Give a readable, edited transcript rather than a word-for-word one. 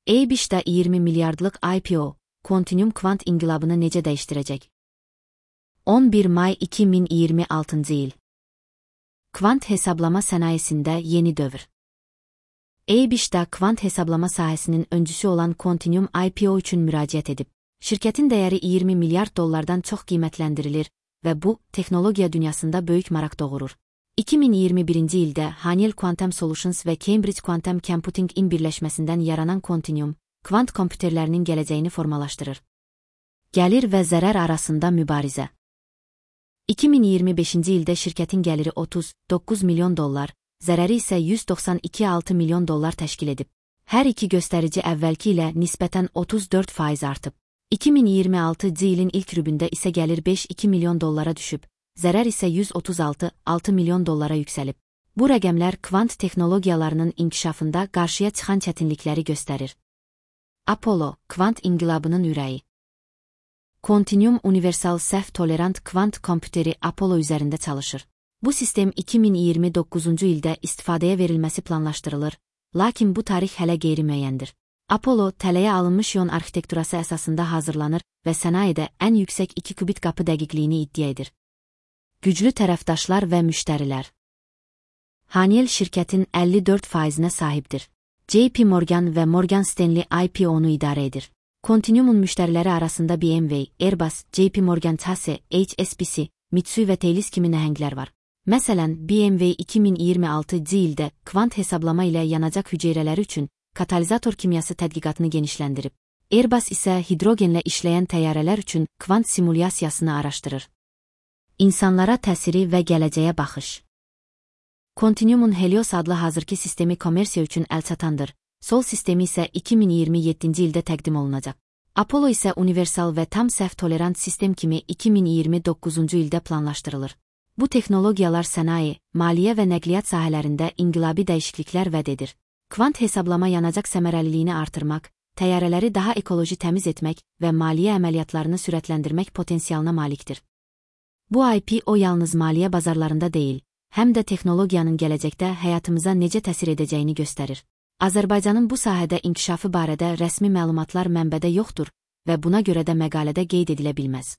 EBİŞ'də 20 milyardlıq IPO, Quantinuum kvant inqilabını necə dəyişdirəcək? 11 may 2026 il. Kvant hesablama sənayesində yeni dövr. EBİŞ'də kvant hesablama sahəsinin öncüsü olan Quantinuum IPO üçün müraciət edib. Şirkətin dəyəri 20 milyard dollardan çox qiymətləndirilir və bu, texnologiya dünyasında böyük maraq doğurur. 2021-ci ildə Haniel Quantum Solutions və Cambridge Quantum Computing-in birləşməsindən yaranan Quantinuum, kvant kompüterlərinin gələcəyini formalaşdırır. Gəlir və zərər arasında mübarizə. 2025-ci ildə şirkətin gəliri 39 milyon dollar, zərəri isə 192,6 milyon dollar təşkil edib. Hər iki göstərici əvvəlki ilə nisbətən 34% artıb. 2026-cı ilin ilk rübündə isə gəlir 5,2 milyon dollara düşüb, zərər isə 136,6 milyon dollara yüksəlib. Bu rəqəmlər kvant texnologiyalarının inkişafında qarşıya çıxan çətinlikləri göstərir. Apollo, kvant inqilabının ürəyi. Quantinuum universal səhv tolerant kvant kompüteri Apollo üzərində çalışır. Bu sistem 2029-cu ildə istifadəyə verilməsi planlaşdırılır, lakin bu tarix hələ qeyri-müəyyəndir. Apollo, tələyə alınmış ion arxitekturası əsasında hazırlanır və sənayedə ən yüksək 2 qubit qapı dəqiqliyini iddia edir. Güclü tərəfdaşlar və müştərilər. Haniel şirkətin 54%-nə sahibdir. JP Morgan və Morgan Stanley IPO-nu idarə edir. Quantinuumun müştəriləri arasında BMW, Airbus, JP Morgan Chase, HSBC, Mitsui və Thales kimi nəhənglər var. Məsələn, BMW 2026-cı ildə kvant hesablama ilə yanacaq hüceyrələri üçün katalizator kimyası tədqiqatını genişləndirib. Airbus isə hidrogenlə işləyən təyyarələr üçün kvant simulyasiyasını araşdırır. İnsanlara təsiri və gələcəyə baxış. Quantinuumun Helios adlı hazırki sistemi kommersiya üçün əlçatandır. Sol sistemi isə 2027-ci ildə təqdim olunacaq. Apollo isə universal və tam səhv tolerant sistem kimi 2029-cu ildə planlaşdırılır. Bu texnologiyalar sənaye, maliyyə və nəqliyyat sahələrində inqilabi dəyişikliklər vəd edir. Kvant hesablama yanacaq səmərəliliyini artırmaq, təyyarələri daha ekoloji təmiz etmək və maliyyə əməliyyatlarını sürətləndirmək potensialına malikdir. Bu IPO yalnız maliyyə bazarlarında deyil, həm də texnologiyanın gələcəkdə həyatımıza necə təsir edəcəyini göstərir. Azərbaycanın bu sahədə inkişafı barədə rəsmi məlumatlar mənbədə yoxdur və buna görə də məqalədə qeyd edilə bilməz.